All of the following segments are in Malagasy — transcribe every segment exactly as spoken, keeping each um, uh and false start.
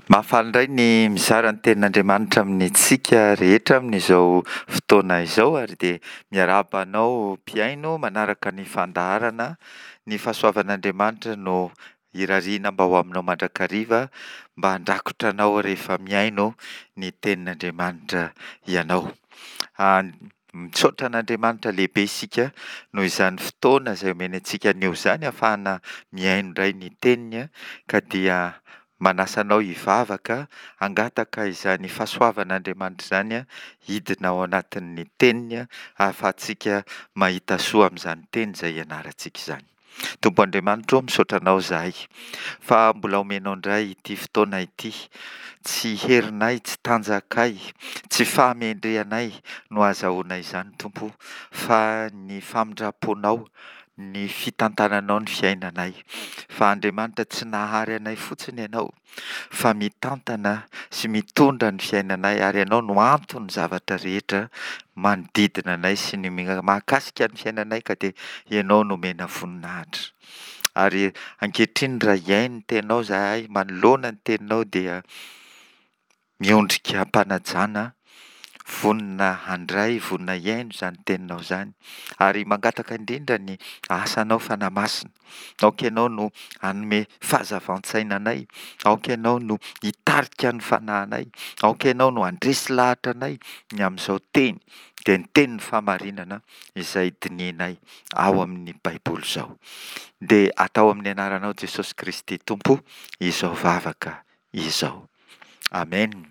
Mahafaly indray ny mizara ny tenin'Andriamanitra amintsika rehetra amin'izao fotoana izao ary dia miarahaba anao mpihaino manaraka ny fandaharana. Ny fahasoavan'Andriamanitra no irariana mba ho aminao mandrakariva mba handrakotra anao rehefa mihaino ny tenin'Andriamanitra ianao. Misaotra an'Andriamanitra lehibe isika noho izany fotoana izay omeny antsika anio izany ahafahana mihaino indray ny teniny ka dia manasa anao hivavaka hangataka izany fahasoavan'Andriamanitra izany hidina ao anatin'ny teniny ahafahantsika mahita soa amin'izany teny izay ianarantsika izany. Tompo Andriamanitra ô, misaotra anao izahay fa mbola omenao indray ity fotoana ity. Tsy herinay, tsy tanjakay, tsy fahamendrehanay no ahazahoana izany Tompo fa ny famindram-ponao, ny fitantananao ny fiainanay. Fa Andriamanitra tsy nahary anay fotsiny ianao fa mitantana sy mitondra ny fiainanay ary ianao no anton'ny zavatra rehetra manodidina anay sy ny mahakasika ny fiainanay ka dia ianao no omena voninahitra. Ary ankehitriny raha hihaino ny teninao izahay, manoloana ny teninao dia miondrika am-panajana, vonona handray, vonona hihaino izany teninao izany ary mangataka indrindra ny asanao Fanahy Masina. Aoka ianao no hanome fahazavan-tsaina anay, aoka ianao no hitarika ny fanahinay, aoka ianao no handresy lahatra anay ny amin'izao teny, dia ny tenin'ny fahamarinana izay dinihinay ao amin'ny Baiboly izao. Dia atao amin'ny anaranao Jesosy Kristy Tompo izao vavaka izao. Amen.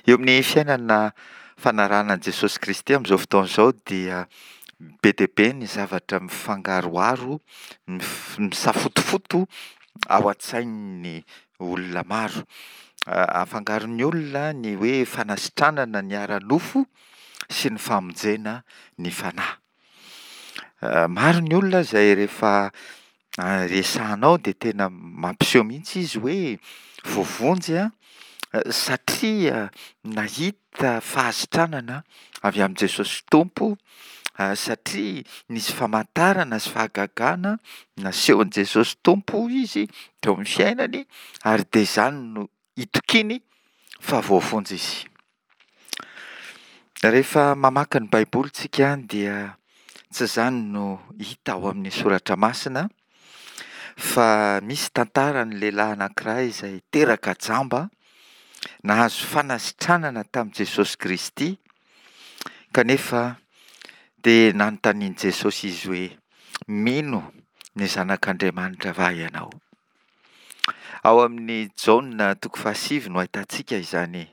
Eo amin'ny fiainana fanarahana an'i Jesosy Kristy amin'izao fotoana izao dia be dia be ny zavatra mifangaroharo, misafotofoto ao an-tsain'ny olona maro. Afangaron'ny olona ny hoe fanasitranana ny ara-nofo sy ny famonjena ny fanahy. Maro ny olona izay rehefa resahanao dia tena mampiseho mihitsy izy hoe voavonjy satria nahita fahasitranana avy amin'i Jesosy Tompo, satria nisy famantarana sy fahagagana nasehon'i Jesosy Tompo izy teo amin'ny fiainany ary dia izany no itokiany fa voavonjy izy. Rehefa mamaky ny Baiboly tsika dia tsy izany no hita ao amin'ny soratra masina fa misy tantaran'ny lehilahy anankiray izay teraka jamba, nahazo fanasitranana tamin'i Jesosy Kristy, kanefa dia nanontanian'i Jesosy izy hoe mino ny zanak'Andriamanitra va ianao? Ao amin'ny Jaona toko fahasivy no ahitantsika izany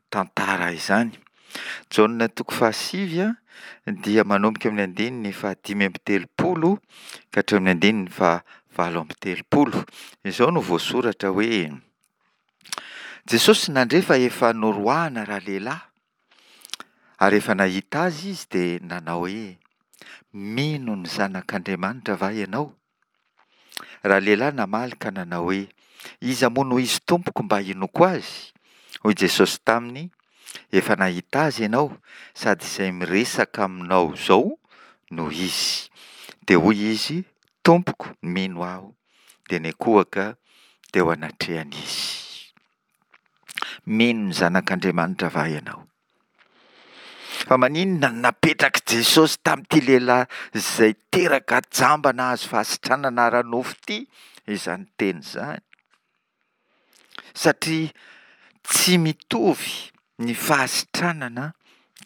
tantara izany. Jaona toko fahasivy dia manomboka amin'ny andininy fahadimy amby telopolo ka hatramin'ny andininy fahavalo amby telopolo. Izao no voasoratra hoe: Jesosy nandre fa efa noroahana ralehilahy ary efa nahita azy izy dia nanao hoe: mino ny zanak'Andriamanitra va ianao? Ralehilahy namaly ka nanao hoe: iza moa no izy tompoko mba hinoako azy? Hoy Jesosy taminy: efa nahita azy ianao sady izay miresaka aminao izao no izy. Dia hoy izy: tompoko, mino aho. Dia niankohoka teo anatrehany izy. Mino ny zanak'Andriamanitra va ianao? Fa maninona no napetrak'i Jesosy tamin'ity lehilahy izay teraka jamba nahazo fahasitranana ara-nofo ity izany teny izany? Satria tsy mitovy ny fahasitranana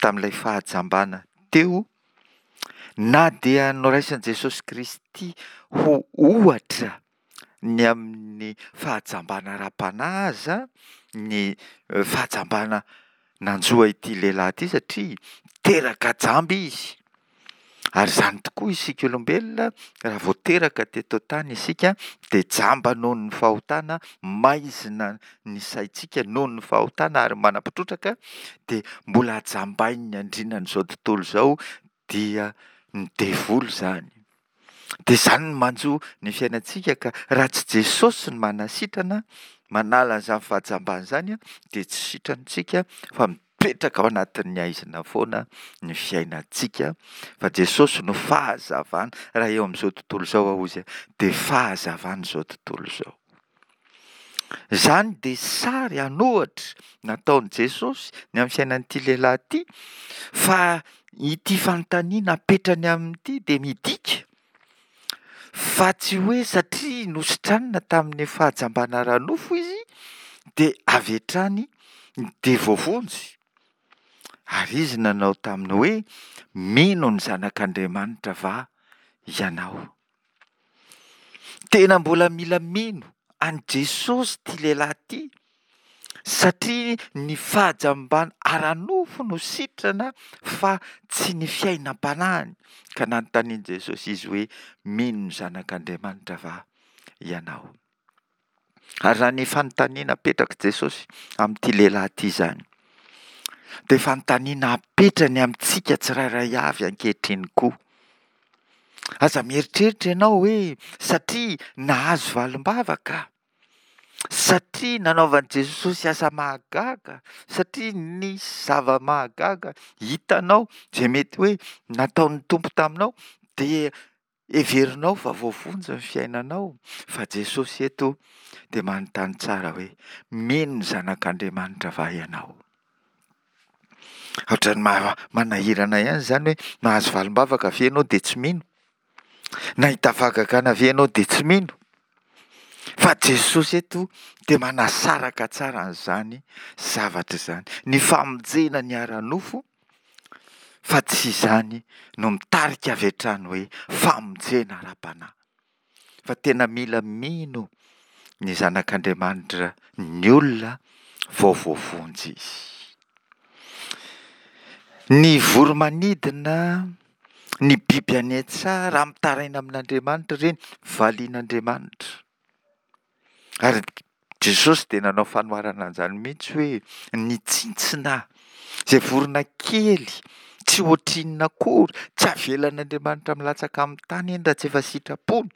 tamin'ilay fahajambana teo, na dia noraisin'i Jesosy Kristy ho ohatra ny amin'ny fahajambana ara-panahy aza ny fahajambana nanjo ity lehilahy ity, satria teraka jamba izy. Ary izany tokoa isika olombelona, raha vao teraka teto an-tany isika dia jamba noho ny fahotana, maizina ny saintsika noho ny fahotana ary manampitrotraka, dia mbola jambain'ny andrianan'izao tontolo izao dia ny devoly izany. Dia izany no manjo ny fiainantsika, ka raha tsy Jesosy no manasitrana, manala an'izany fahajambana izany, dia tsy sitrantsika fa mipetraka ao anatin'ny haizina foana ny fiainantsika. Fa Jesosy no fahazavana. Raha eo amin'izao tontolo izao aho izy dia fahazavana izao tontolo izao. Izany dia sary an'ohatra nataon'i Jesosy ny amin'ny fiainan'ity lehilahy ity, fa ity fanontaniana apetrany amin'ity dia midika fa tsy hoe satria nositranina tamin'ny fahajambana ara-nofo izy dia avy hatrany dia voavonjy. Ary izy nanao taminy hoe: Mino ny Zanak'Andriamanitra va ianao? Tena mbola mila mino an'i Jesosy ity lehilahy ity, satria ny fahajambana ara-nofo no sitrana fa tsy ny fiainam-panahiny. Ka nanontanian'i Jesosy izy hoe: Mino ny Zanak'Andriamanitra va ianao? Ary raha ny fanontaniana apetrak'i Jesosy amin'ity lehilahy ity izany, dia fanontaniana apetrany amintsika tsirairay avy ankehitriny koa. Aza mieritreritra ianao hoe satria nahazo valim-bavaka, satria nanaovan'i Jesosy asa mahagaga, satria nisy zava-mahagaga hitanao izay mety hoe nataon'ny Tompo taminao, dia heverinao fa voavonjy ny fiainanao. Fa Jesosy eto dia manontany tsara hoe: mino ny Zanak'Andriamanitra va ianao? Ohatran'ny maha- manahirana ihany izany hoe mahazo valim-bavaka ve ianao dia tsy mino? Nahita fahagagana ve ianao dia tsy mino? Fa Jesosy eto dia manasaraka tsara an'izany zavatra izany. Ny famonjena ny ara-nofo fa tsy izany no mitarika avy hatrany hoe famonjena ara-panahy. Fa tena mila mino ny Zanak'Andriamanitra ny olona vao voavonjy izy. Ny voro-manidina, ny biby any an-tsaha, raha mitaraina amin'Andriamanitra ireny, valian'Andriamanitra. Ary Jesosy dia nanao fanoharana an'izany mihitsy hoe ny tsintsina, izay vorona kely, tsy ohatrinona akory, tsy avelan'Andriamanitra milatsaka amin'ny tany iny raha tsy efa sitrapony.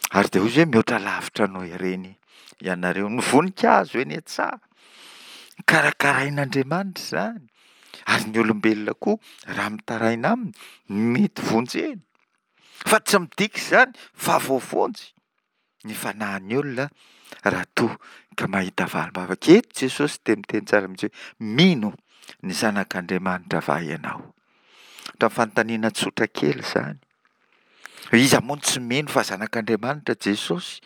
Ary dia hoy izy hoe mihoatra lavitra noho ireny ianareo. Ny voninkazo eny an-tsaha, karakarain'Andriamanitra izany. Ary ny olombelona koa raha mitaraina aminy, mety vonjeny. Fa tsy midika izany fa voavonjy ny fanahin'ny olona raha toa ka mahita valim-bavaka. Eto Jesosy dia miteny tsara mihitsy hoe mino ny Zanak'Andriamanitra va ianao? Ohatran'ny fanontaniana tsotra kely izany. Iza moa no tsy mino fa Zanak'Andriamanitra Jesosy?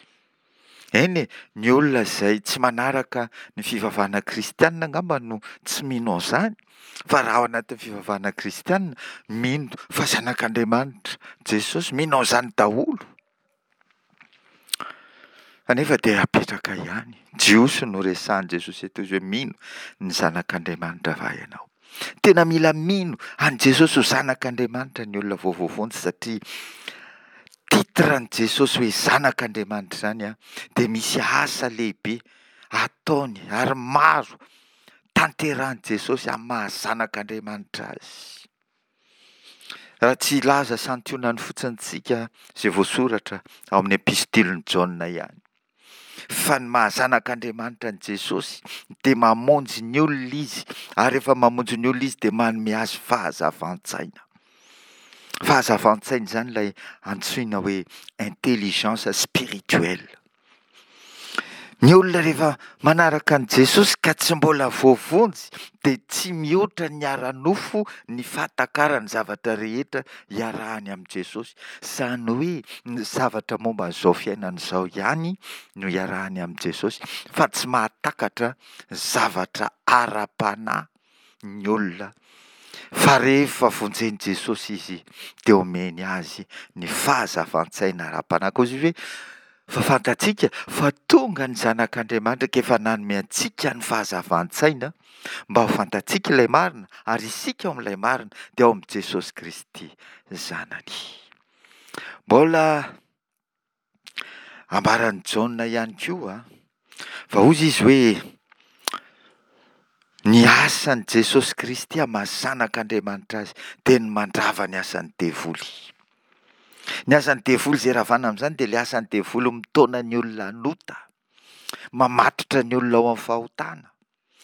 Eny e, ny olona izay tsy manaraka ny fivavahana kristianina angamba no tsy mino an'izany, fa raha ao anatin'ny fivavahana kristianina, mino fa Zanak'Andriamanitra Jesosy, mino an'izany daholo. Kanefa dia apetraka ihany. Jiosy no resahin'i Jesosy eto izy hoe mino ny Zanak'Andriamanitra va ianao? Tena mila mino an'i Jesosy ho Zanak'Andriamanitra ny olona vao voavonjy satria titre an'i Jesosy hoe Zanak'Andriamanitra izany an, dia misy asa lehibe ataony ary maro tanterahin'i Jesosy amin'ny maha Zanak'Andriamanitra azy. Raha tsy hilaza santionany fotsiny tsika izay voasoratra ao amin'ny epistilin'i Jaona ihany. Fa ny maha zanak'Andriamanitra an'i Jesosy dia mamonjy ny olona izy, ary rehefa mamonjy ny olona izy dia manome azy fahazavan-tsaina. Fahazavan-tsaina izany ilay antsoina hoe intelligence spirituelle. Ny olona rehefa manaraka an'i Jesosy ka tsy mbola voavonjy dia tsy mihoatra ny ara-nofo ny fahatakarany zavatra rehetra iarahany amin'i Jesosy. Izany hoe ny zavatra momba an'izao fiainana izao ihany no iarahany amin'i Jesosy fa tsy mahatakatra zavatra ara-panahy ny olona fa rehefa vonjen'i Jesosy izy dia omeny azy ny fahazavan-tsaina ara-panahy. Koa izy hoe fa fantatsika fa tonga ny Zanak'Andriamanitra ka efa nanome antsika ny fahazavan-tsaina mba ho fantatsika ilay marina ary isika ao amin'ilay marina dia ao amin'i Jesosy Kristy Zanany. Mbola Ambaran'i Jaona ihany koa fa hozy izy hoe ny asan'i Jesosy Kristy amin'ny maha zanak'Andriamanitra azy dia ny mandrava ny asan'ny devoly. Ny asan'ny devoly izay ravana amin'izany dia ilay asan'ny devoly mitaona ny olona hanota, mamatotra ny olona ao amin'ny fahotana.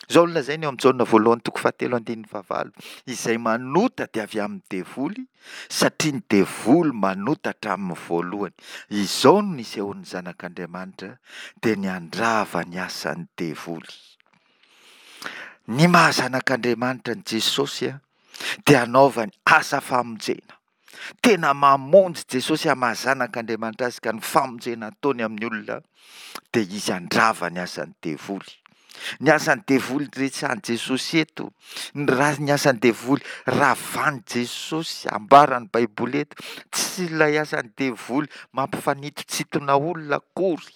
Izao no lazainy eo amin'ny Jaona voalohany toko fahatelo andininy fahavalo, izay manota dia avy amin'ny devoly, satria ny devoly manota hatramin'ny voalohany. Izao no nisehoan'ny Zanak'Andriamanitra, dia ny handrava ny asan'ny devoly. Ny maha Zanak'Andriamanitra an'i Jesosy dia hanaovany asa famonjena. Tena mamonjy Jesosy amin'ny maha Zanak'Andriamanitra azy ka ny famonjena ataony amin'ny olona dia izy handrava ny asan'ny devoly. Ny asan'ny devoly resahan'i Jesosy eto, ny ra- ny asan'ny devoly ravan'i Jesosy ambaran'ny Baiboly eto, tsy ilay asan'ny devoly mampifanitotsitona olona akory.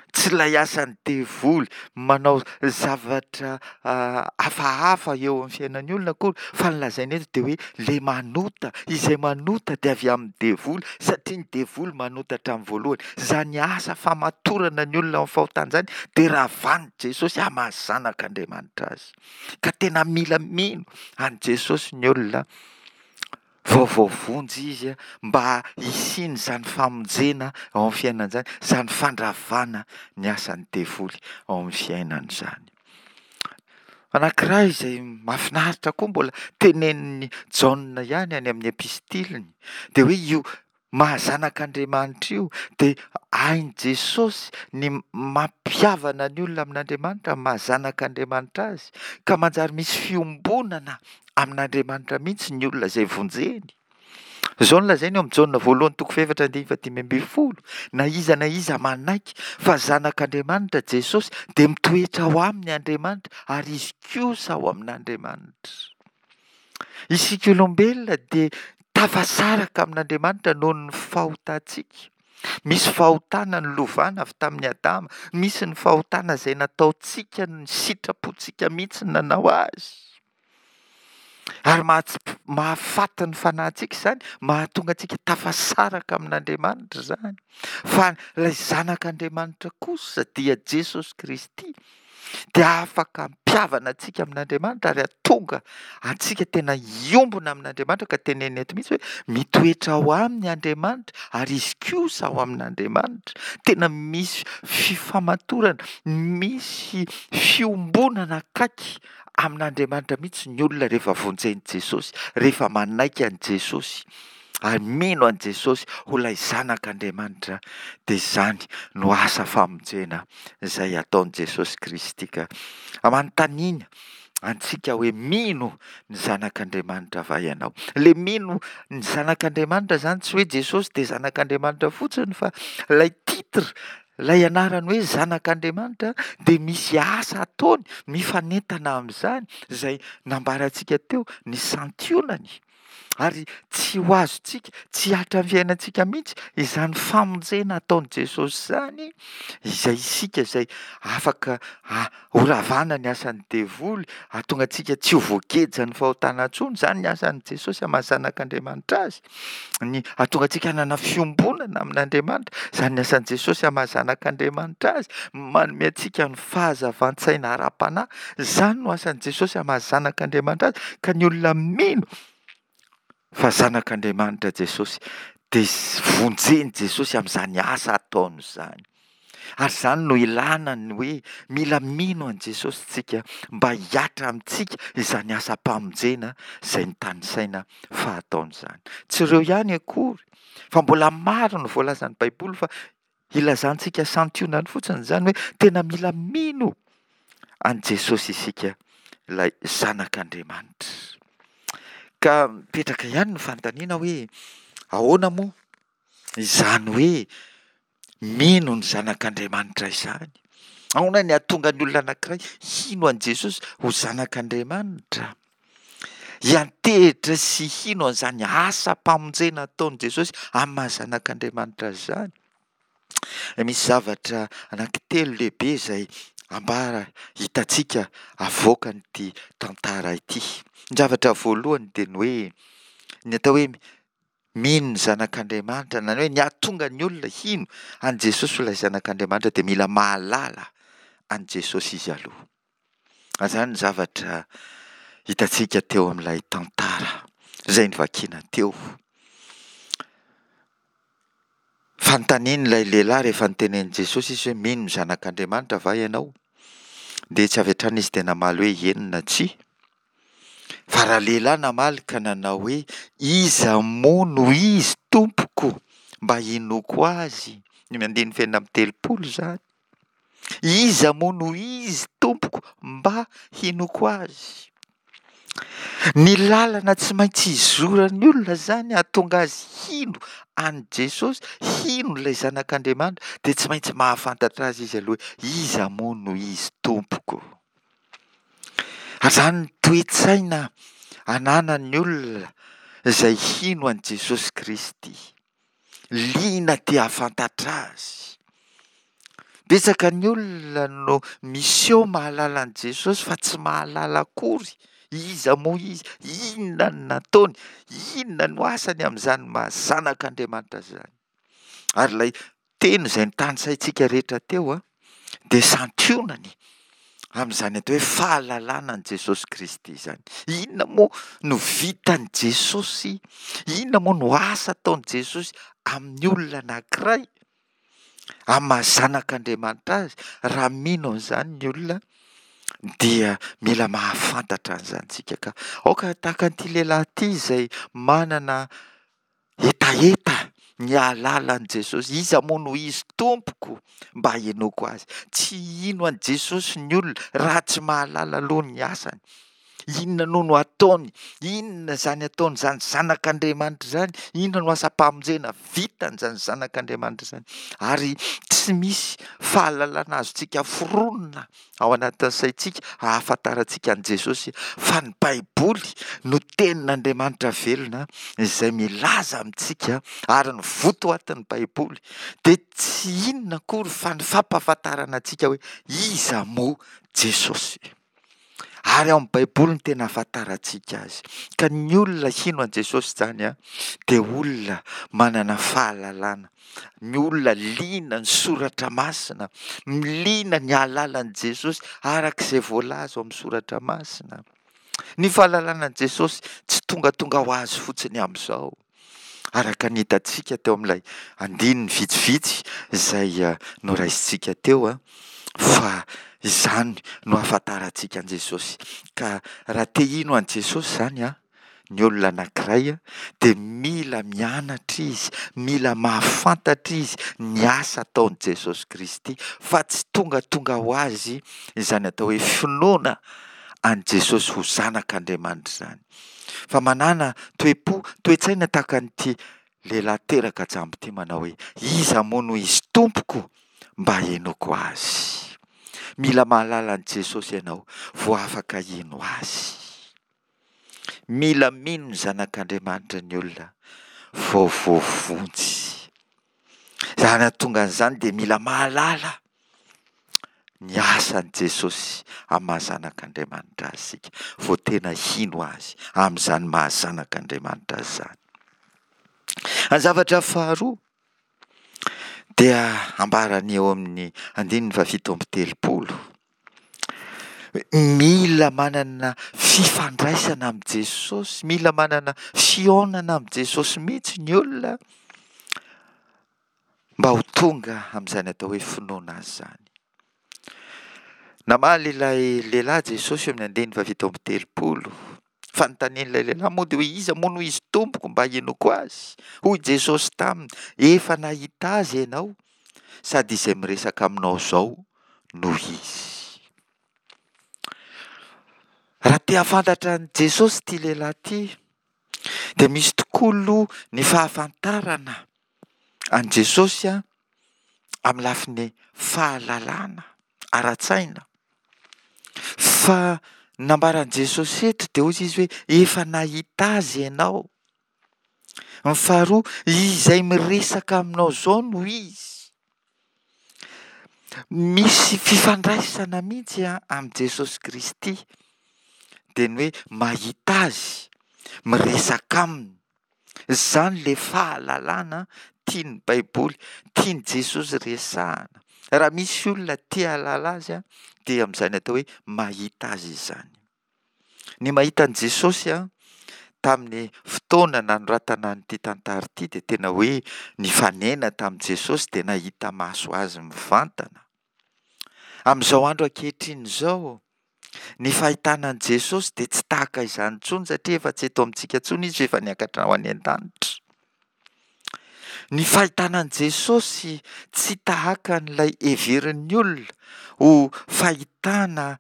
Tsy ilay asan'ny devoly manao zavatra hafahafa eo amin'ny fiainan'ny olona akory, fa ny lazaina eto dia hoe ilay manota, izay manota dia avy amin'ny devoly, satria ny devoly manota hatramin'ny voalohany. Izany asa famatorana ny olona amin'ny fahotana izany dia ravan'i Jesosy amin'ny maha zanak'Andriamanitra azy. Ka tena mila mino an'i Jesosy ny olona vao voavonjy izy mba hisian'izany famonjena ao amin'ny fiainana izany, izany fandravana ny asan'ny devoly ao amin'ny fiainana izany. Anankiray izay mahafinaritra koa mbola tenenin'i Jaona ihany any amin'ny epistiliny dia hoe io maha zanak'Andriamanitra io dia hain'i Jesosy ny mampihavana ny olona amin'Andriamanitra amin'ny maha zanak'Andriamanitra azy ka manjary misy fiombonana amin'Andriamanitra mihitsy ny olona izay vonjeny. Izao no lazainy eo amin'ny Jaona voalohany toko fahefatra andininy fahadimy ambin'ny folo, na iza na iza manaiky fa zanak'Andriamanitra Jesosy dia mitoetra ao aminy Andriamanitra ary izy kosa ao amin'Andriamanitra. Isika olombelona dia tafasaraka amin'Andriamanitra noho ny fahotantsika. Misy fahotana nolovana avy tamin'i Adama, misy ny fahotana izay nataontsika, ny sitrapontsika mihitsy no nanao azy. Ary mahafaty ny fanahintsika izany, mahatonga antsika tafasaraka amin'Andriamanitra izany. Fa ilay Zanak'Andriamanitra kosa dia Jesosy Kristy dia afaka hampihavana antsika amin'Andriamanitra ary hahatonga antsika tena hiombona amin'Andriamanitra, ka tenenina eto mihitsy hoe mitoetra ao aminy Andriamanitra ary izy kosa ao amin'Andriamanitra. Tena misy fifamatorana, misy fiombonana akaiky amin'Andriamanitra mihitsy ny olona rehefa vonjen'i Jesosy, rehefa manaiky an'i Jesosy ary mino an'i Jesosy ho ilay Zanak'Andriamanitra, dia izany no asa famonjena izay ataon'i Jesosy Kristy. Ka manontaniana antsika hoe mino ny Zanak'Andriamanitra va ianao? Ilay mino ny Zanak'Andriamanitra izany tsy hoe Jesosy dia Zanak'Andriamanitra fotsiny fa ilay titre, ilay anarany hoe Zanak'Andriamanitra dia misy asa ataony mifanentana amin'izany izay nambarantsika teo, ny santionany. Ary tsy ho azontsika, tsy hihatra amin'ny fiainantsika mihitsy izany famonjena ataon'i Jesosy izany, izay isika izay afaka horavana ny asan'ny devoly, hahatonga antsika tsy ho voagejan'ny fahotana intsony, izany ny asan'i Jesosy amin'ny maha zanak'Andriamanitra azy, ny hahatonga antsika hanana fiombonana amin'Andriamanitra, izany ny asan'i Jesosy amin'ny maha zanak'Andriamanitra azy, manome antsika ny fahazavan-tsaina ara-panahy, izany no asan'i Jesosy amin'ny maha zanak'Andriamanitra azy, ka ny olona mino fa zanak'Andriamanitra Jesosy dia vonjen'i Jesosy amin'izany asa ataony izany. Ary izany no ilana ny hoe mila mino an'i Jesosy tsika mba hihatra amintsika izany asam-pamonjena izay notanisaina fa ataony izany. Tsy ireo ihany akory fa mbola maro ny voalazan'ny Baiboly fa ilazantsika santionany fotsiny izany hoe tena mila mino an'i Jesosy isika, ilay Zanak'Andriamanitra. Ka mipetraka ihany ny fanontaniana hoe ahoana moa izany hoe mino ny Zanak'Andriamanitra izany? Ahoana ny hahatonga ny olona anankiray hino an'i Jesosy ho Zanak'Andriamanitra? Hiantehitra sy hino an'izany asam-pamonjena ataon'i Jesosy amin'ny maha Zanak'Andriamanitra azy izany? Misy zavatra anankitelo lehibe izay ambara hitantsika avoakan'ity tantara ity. Ny zavatra voalohany dia ny hoe ny atao hoe mino ny Zanak'Andriamanitra na ny hoe ny hahatonga ny olona hino an'i Jesosy ho ilay Zanak'Andriamanitra dia mila mahalala an'i Jesosy izy aloha. Izany ny zavatra hitantsika teo amin'ilay tantara izay novakiana teo. Fanontanian'ilay lehilahy rehefa notenenin'i Jesosy izy hoe mino ny Zanak'Andriamanitra va ianao? Dia tsy avy hatrany izy dia namaly hoe eny na tsia. Fa ralehilahy namaly ka nanao hoe: Iza moa no izy, Tompoko, mba hinoako azy? Ny andininy fahenina amby telopolo izany. Iza moa no izy, Tompoko, mba hinoako azy? Ny lalana tsy maintsy izoran'ny olona izany hahatonga azy hino an'i Jesosy, hino ilay Zanak'Andriamanitra, dia tsy maintsy mahafantatra azy izy aloha hoe iza moa no izy Tompoko. Ary izany ny toe-tsaina ananan'ny olona izay hino an'i Jesosy Kristy. Liana te hahafantatra azy. Betsaka ny olona no miseho mahalala an'i Jesosy fa tsy mahalala akory iza moa izy, inona no nataony, inona no asany amin'izany maha zanak'Andriamanitra azy izany. Ary ilay teny izay notanisaintsika rehetra teo dia santionany amin'izany atao hoe fahalalana an'i Jesosy Kristy izany. Inona moa no vitan'i Jesosy? Inona moa no asa ataon'i Jesosy amin'ny olona anankiray? Amin'ny maha zanak'Andriamanitra azy, raha mino an'izany ny olona dia mila mahafantatra an'izany isika ka aoka tahaka an'ity lehilahy ity izay manana hetaheta ny hahalala an'i Jesosy. Iza moa no izy Tompoko mba hinoako azy? Tsy hino an'i Jesosy ny olona raha tsy mahalala aloha ny asany. Inona no no ataony? Inona izany ataony izany zanak'Andriamanitra izany? Inona no asam-pamonjena vitany izany zanak'Andriamanitra izany? Ary tsy misy fahalalana azontsika foronina ao anatin'ny saintsika ahafantarantsika an'i Jesosy fa ny Baiboly no tenin'Andriamanitra velona izay milaza amintsika, ary ny votoatin'ny Baiboly dia tsy inona akory fa ny fampahafantarana antsika hoe iza moa Jesosy. Ary ao amin'ny Baiboly no tena ahafantarantsika azy. Ka ny olona hino an'i Jesosy izany an, dia olona manana fahalalana, ny olona liana ny soratra masina, liana ny hahalala an'i Jesosy araka izay voalaza ao amin'ny soratra masina. Ny fahalalana an'i Jesosy tsy tongatonga ho azy fotsiny amin'izao. Araka ny hitantsika teo amin'ilay andininy vitsivitsy izay noraisintsika teo fa izany no ahafantarantsika an'i Jesosy. Ka raha te hino an'i Jesosy izany an, ny olona anankiray dia mila mianatra izy, mila mahafantatra izy ny asa ataon'i Jesosy Kristy fa tsy tongatonga ho azy izany atao hoe finoana an'i Jesosy ho zanak'Andriamanitra izany. Fa manàna toe-po, toe-tsaina tahaka an'ity lehilahy teraka jamba ity manao hoe, iza moa no izy Tompoko mba henoako azy? Mila mahalala an'i Jesosy ianao vao afaka hino azy. Mila mino ny zanak'Andriamanitra ny olona vao voavonjy. Izany hahatonga an'izany dia mila mahalala ny asan'i Jesosy amin'ny maha zanak'Andriamanitra azy isika vao tena hino azy amin'izany maha zanak'Andriamanitra azy izany. Ny zavatra faharoa dia ambarany eo amin'ny andininy fahafito amby telopolo. Mila manana fifandraisana amin'i Jesosy, mila manana fihaonana amin'i Jesosy mihitsy ny olona mba ho tonga amin'izany atao hoe finoana azy izany. Namaly ilay lehilahy Jesosy eo amin'ny andininy fahafito amby telopolo. Fanontanian'ilay lehilahy moa dia hoe iza moa no izy Tompoko mba hinoako azy? Hoy Jesosy taminy, efa nahita azy ianao, sady izay miresaka aminao izao no izy. Raha te hahafantatra an'i Jesosy ity lehilahy ity, dia misy tokoa aloha ny fahafantarana an'i Jesosy amin'ny lafiny fahalalana ara-tsaina. Fa ny nambaran'i Jesosy eto dia hoy izy hoe efa nahita azy ianao. Ny faharoa, izay miresaka aminao izao no izy. Misy fifandraisana mihitsy amin'i Jesosy Kristy, dia ny hoe mahita azy, miresaka aminy. Izany ilay fahalalana tian'ny Baiboly, tian'i Jesosy resahana. Raha misy olona te hahalala azy dia amin'izany atao hoe mahita azy izany. Ny mahita an'i Jesosy tamin'ny fotoana nanoratana an'ity tantara ity dia tena hoe nifanena tamin'i Jesosy dia nahita maso azy mivantana. Amin'izao andro ankehitriny izao, ny fahitana an'i Jesosy dia tsy tahaka izany intsony satria efa tsy eto amintsika intsony Izy fa efa niakatra ho any an-danitra. Ny fahitana an'i Jesosy tsy tahaka an'ilay heverin'ny olona ho fahitana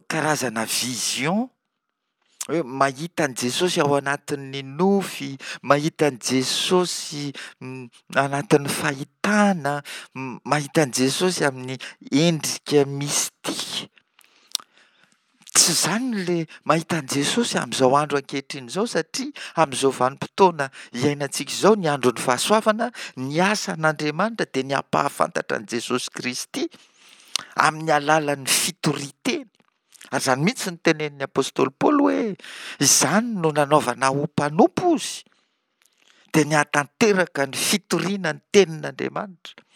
karazana vision, hoe mahita an'i Jesosy ao anatin'ny nofy, mahita an'i Jesosy anatin'ny fahitana, mahita an'i Jesosy amin'ny endrika mystique. Tsy izany ilay mahita an'i Jesosy amin'izao andro ankehitriny izao, satria amin'izao vanim-potoana iainantsika izao, ny andron'ny fahasoavana, ny asan'Andriamanitra dia ny hampahafantatra an'i Jesosy Kristy amin'ny alalan'ny fitorian-teny. Ary izany mihitsy no tenenin'ny apostoly Paoly hoe izany no nanaovana ho mpanompo izy, dia ny hahatanteraka ny fitoriana ny tenin'Andriamanitra.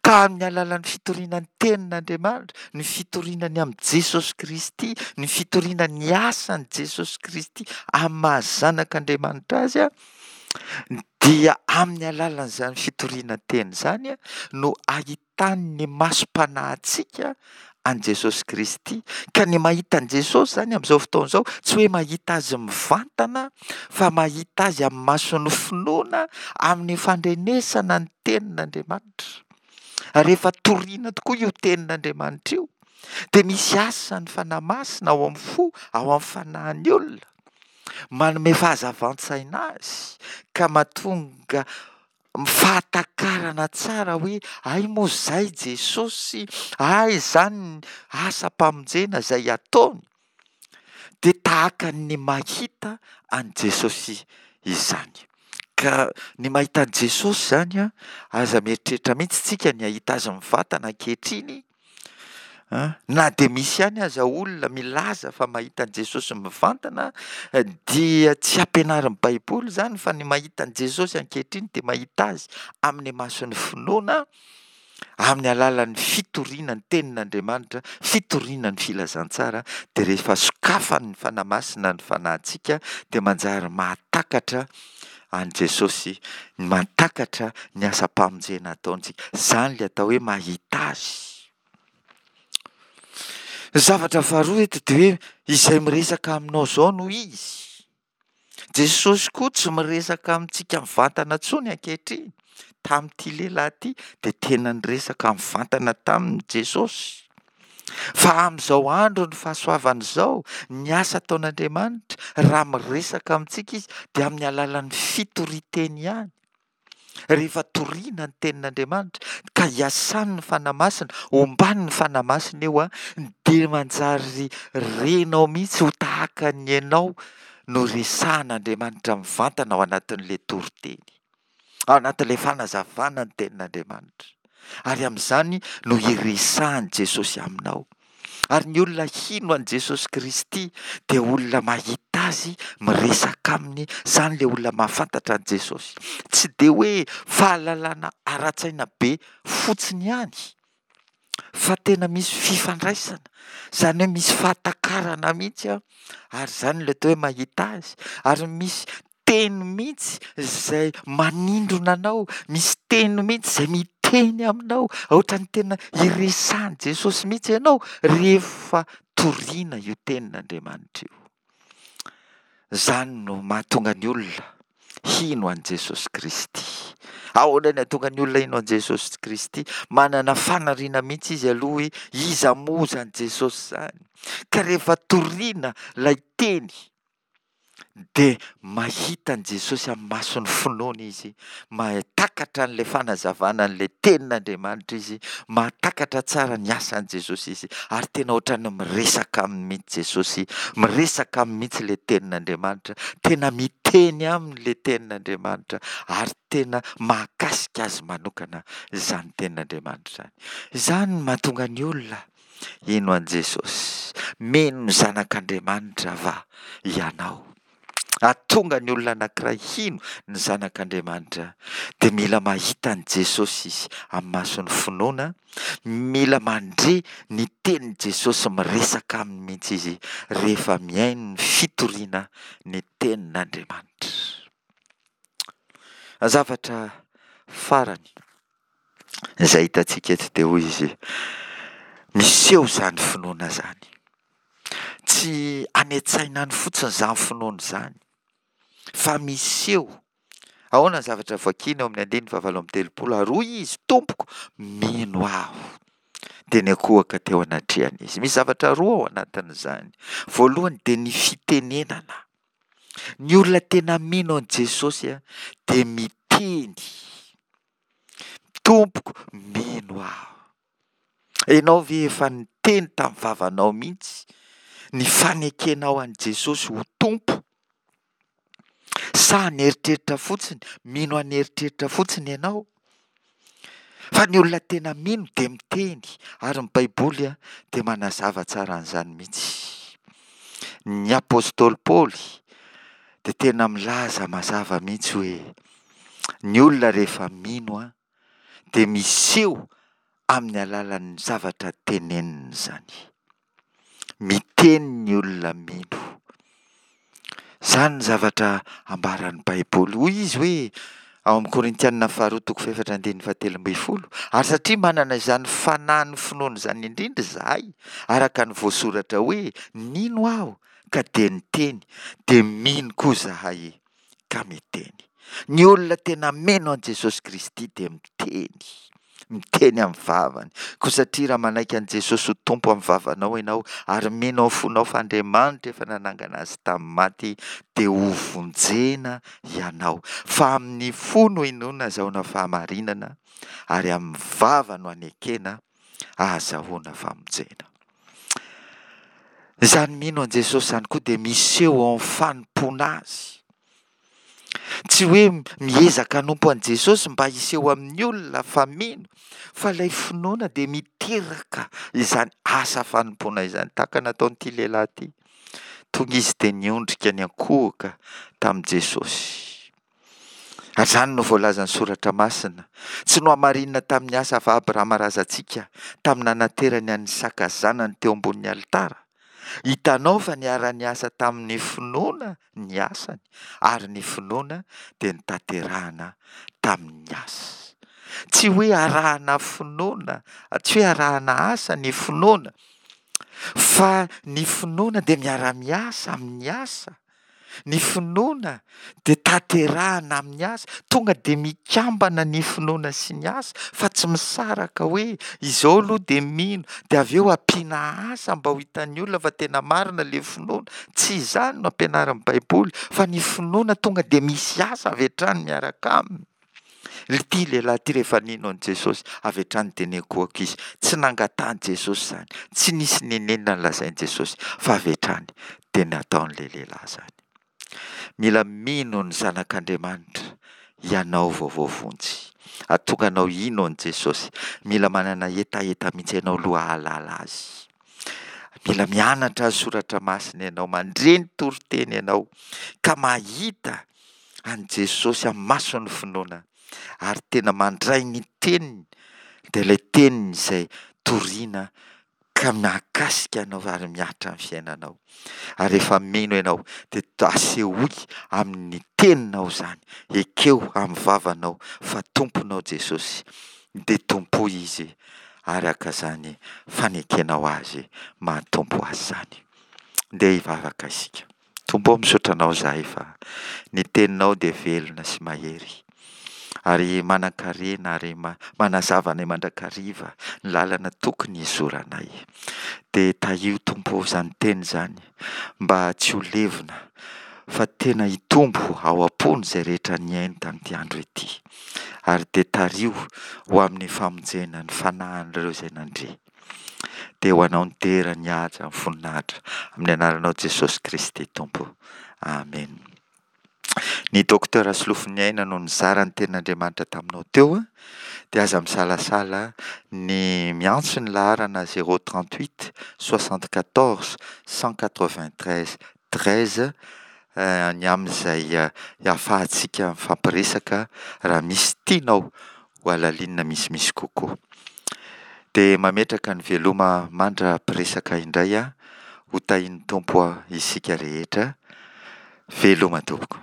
Ka amin'ny alalan'ny fitoriana ny tenin'Andriamanitra, ny fitoriana ny amin'i Jesosy Kristy, ny fitoriana ny asan'i Jesosy Kristy amin'ny maha zanak'Andriamanitra azy, dia amin'ny alalan'izany fitoriana teny izany no ahitan'ny masom-panahintsika an'i Jesosy Kristy. Ka ny mahita an'i Jesosy izany amin'izao fotoana izao, tsy hoe mahita azy mivantana, fa mahita azy amin'ny mason'ny finoana, amin'ny fandrenesana ny tenin'Andriamanitra. Ary rehefa torina tokoa io tenin'Andriamanitra io, dia misy asan'ny Fanahy Masina ao amin'ny fo, ao amin'ny fanahin'ny olona, manome fahazavan-tsaina azy, ka mahatonga fahatakarana tsara hoe ay moa izay Jesosy, ay izany ny asam-pamonjena izay ataony, dia tahaka ny mahita an'i Jesosy izany. Ka ny mahita an'i Jesosy izany an, aza mieritreritra mihitsy tsika ny hahita azy mivantana ankehitriny, an, na dia misy ihany aza olona milaza fa mahita an'i Jesosy mivantana, dia tsy ampianarin'ny Baiboly izany, fa ny mahita an'i Jesosy ankehitriny dia mahita azy amin'ny mason'ny finoana, amin'ny alalan'ny fitoriana ny tenin'Andriamanitra, fitoriana ny filazantsara, dia rehefa sokafan'ny Fanahy Masina ny fanahintsika dia manjary mahatakatra an'i Jesosy, mahatakatra ny asam-pamonjena ataontsika. Izany ilay atao hoe mahita azy. Ny zavatra faharoa eto dia hoe izay miresaka aminao izao no izy. Jesosy koa tsy miresaka amintsika mivantana intsony ankehitriny. Tamin'ity lehilahy ity dia tena niresaka mivantana taminy Jesosy. Fa amin'izao andro ny fahasoavana izao, ny asa ataon'Andriamanitra, raha miresaka amintsika izy dia amin'ny alalan'ny fitorian-teny ihany. Rehefa torina ny tenin'Andriamanitra ka iasan'ny Fanahy Masina, omban'ny Fanahy Masina io, dia manjary renao mihitsy ho tahaka ny ianao no resahan'Andriamanitra mivantana ao anatin'ilay toriteny, ao anatin'ilay fanazavana ny tenin'Andriamanitra. Ary amin'izany no iresahan'i Jesosy aminao. Ary ny olona hino an'i Jesosy Kristy dia olona mahita azy, miresaka aminy, izany ilay olona mahafantatra an'i Jesosy. Tsy dia hoe fahalalana ara-tsaina be fotsiny ihany, fa tena misy fifandraisana, izany hoe misy fahatakarana mihitsy an, ary izany ilay atao hoe mahita azy, ary misy teny mihitsy izay manindrona anao, misy teny mihitsy izay miteny aminao, ohatran'ny tena iresahan'i Jesosy mihitsy ianao rehefa torina io tenin'Andriamanitra io. Izany no mahatonga ny olona hino an'i Jesosy Kristy. Ahoana ny hahatonga ny olona hino an'i Jesosy Kristy? Manana faniriana mihitsy izy aloha hoe iza moa izany Jesosy izany? Ka rehefa torina ilay teny dia mahita an'i Jesosy amin'ny mason'ny finoana izy, mahatakatra an'ilay fanazavana an'ilay tenin'Andriamanitra izy, mahatakatra tsara ny asan'i Jesosy izy, ary tena ohatran'ny miresaka aminy mihitsy Jesosy, miresaka aminy mihitsy ilay tenin'Andriamanitra, tena miteny aminy ilay tenin'Andriamanitra, ary tena mahakasika azy manokana izany tenin'Andriamanitra izany. Izany no mahatonga ny olona hino an'i Jesosy. Mino ny Zanak'Andriamanitra va ianao? Hahatonga ny olona anankiray hino ny Zanak'Andriamanitra dia mila mahita an'i Jesosy izy amin'ny mason'ny finoana, mila mandre ny tenin'i Jesosy miresaka aminy mihitsy izy rehefa mihaino ny fitoriana ny tenin'Andriamanitra. Zavatra farany izay hitantsika eto dia hoy izy, Miseho izany finoana izany. Tsy any an-tsaina any fotsiny izany finoana izany fa miseho. Ahoana ny zavatra vakiana eo amin'ny andininy fahavalo amby telopolo? Ary hoy izy, Tompoko, mino aho. Dia niankohoka teo anatrehany izy. Misy zavatra roa ao anatin'izany. Voalohany dia ny fitenenana. Ny olona tena mino an'i Jesosy dia miteny, Tompoko, mino aho. Ianao ve efa niteny tamin'ny vavanao mihitsy ny fanekenao an'i Jesosy ho Tompo? Sa an'eritreritra fotsiny, mino an'eritreritra fotsiny ianao? Fa ny olona tena mino dia miteny, ary ny Baiboly dia manazava tsara an'izany mihitsy. Ny apostoly Paoly dia tena milaza mazava mihitsy hoe ny olona rehefa mino dia miseho amin'ny alalan'ny zavatra teneniny izany. Miteny ny olona mino. Izany ny zavatra ambaran'ny Baiboly. Hoy izy hoe ao amin'ny Korintianina faharoa toko fahefatra andininy fahatelo ambin'ny folo, ary satria manana izany fanahin'ny finoana izany indrindra izahay, araka ny voasoratra hoe, nino aho ka dia niteny, dia mino koa izahay ka miteny. Ny olona tena mino an'i Jesosy Kristy dia miteny, miteny amin'ny vavany. Koa satria raha manaiky an'i Jesosy ho Tompo amin'ny vavanao ianao ary mino amin'ny fonao fa Andriamanitra efa nanangana azy tamin'ny maty, dia hovonjena ianao. Fa amin'ny fo no inoana azahoana fahamarinana, ary amin'ny vava no anekena ahazahoana famonjena. Izany mino an'i Jesosy izany koa dia miseho ao amin'ny fanompoana Azy. Tsy hoe miezaka hanompo an'i Jesosy mba hiseho amin'ny olona fa mino, fa ilay finoana dia miteraka izany asa fanompoana izany, tahaka nataon'ity lehilahy ity. Tonga izy dia niondrika niankohoka tamin'i Jesosy. Ary izany no voalazan'ny Soratra Masina. Tsy nohamarinina tamin'ny asa va Abrahama razantsika tamin'ny nanaterany an'i Isaka zanany teo ambonin'ny alitara? Hitanao fa niara-niasa tamin'ny finoana ny asany, ary ny finoana dia notanterahana tamin'ny asa. Tsy hoe arahana finoana, tsy hoe arahana asa ny finoana, fa ny finoana dia miara-miasa amin'ny asa. Ny finoana dia tanterahana amin'ny asa. Tonga dia mikambana ny finoana sy ny asa fa tsy misaraka hoe izao aloha dia mino dia avy eo ampiana asa mba ho hitan'ny olona fa tena marina ilay finoana. Tsy izany no ampianarin'ny Baiboly fa ny finoana tonga dia misy asa avy hatrany miaraka aminy. Ity lehilahy ity rehefa nino an'i Jesosy, avy hatrany dia niankohoka izy. Tsy nangatahan'i Jesosy izany, tsy nisy n'inon'inona nolazain'i Jesosy fa avy hatrany dia nataon'ilay lehilahy izany. Mila mino ny Zanak'Andriamanitra ianao vao voavonjy. Hahatonga anao hino an'i Jesosy. Mila manana hetaheta mihitsy ianao aloha hahalala Azy. Mila mianatra ny Soratra Masina ianao, mandre ny toriteny ianao, ka mahita an'i Jesosy amin'ny mason'ny finoana ary tena mandray ny teniny, dia ilay teniny izay torina ka mahakasika anao ary mihatra ny fiainanao. Ary rehefa mino ianao dia asehoy amin'ny teninao izany, ekeo amin'ny vavanao fa Tomponao Jesosy, dia tompoy Izy araka izany fanekenao Azy maha Tompo Azy izany. Ndeha hivavaka isika. Tompo ô, misaotra Anao izahay fa ny Teninao dia velona sy mahery ary manan-karena ary manazava anay mandrakariva ny lalana tokony hizoranay. Dia tahio Tompo ô izany teny izany mba tsy ho levona fa tena hitombo ao am-pony izay rehetra nihaino tamin'ity andro ity. Ary dia tariho ho amin'ny famonjena ny fanahin'ireo izay nandre. Dia ho anao ny dera, ny haja, ny voninahitra amin'ny anaranao Jesosy Kristy Tompo. Amen. Ny Docteur Solofoniaina no nizara ny tenin'Andriamanitra taminao teo, dia aza misalasala ny miantso ny laharana zéro trente-huit soixante-quatorze cent quatre-vingt-treize treize ny amin'izay ahafahantsika mifampiresaka raha misy tianao ho halalinina misimisy kokoa. Dia mametraka ny veloma mandra-piresaka indray aho, ho tahian'ny Tompo isika rehetra. Veloma tompoko.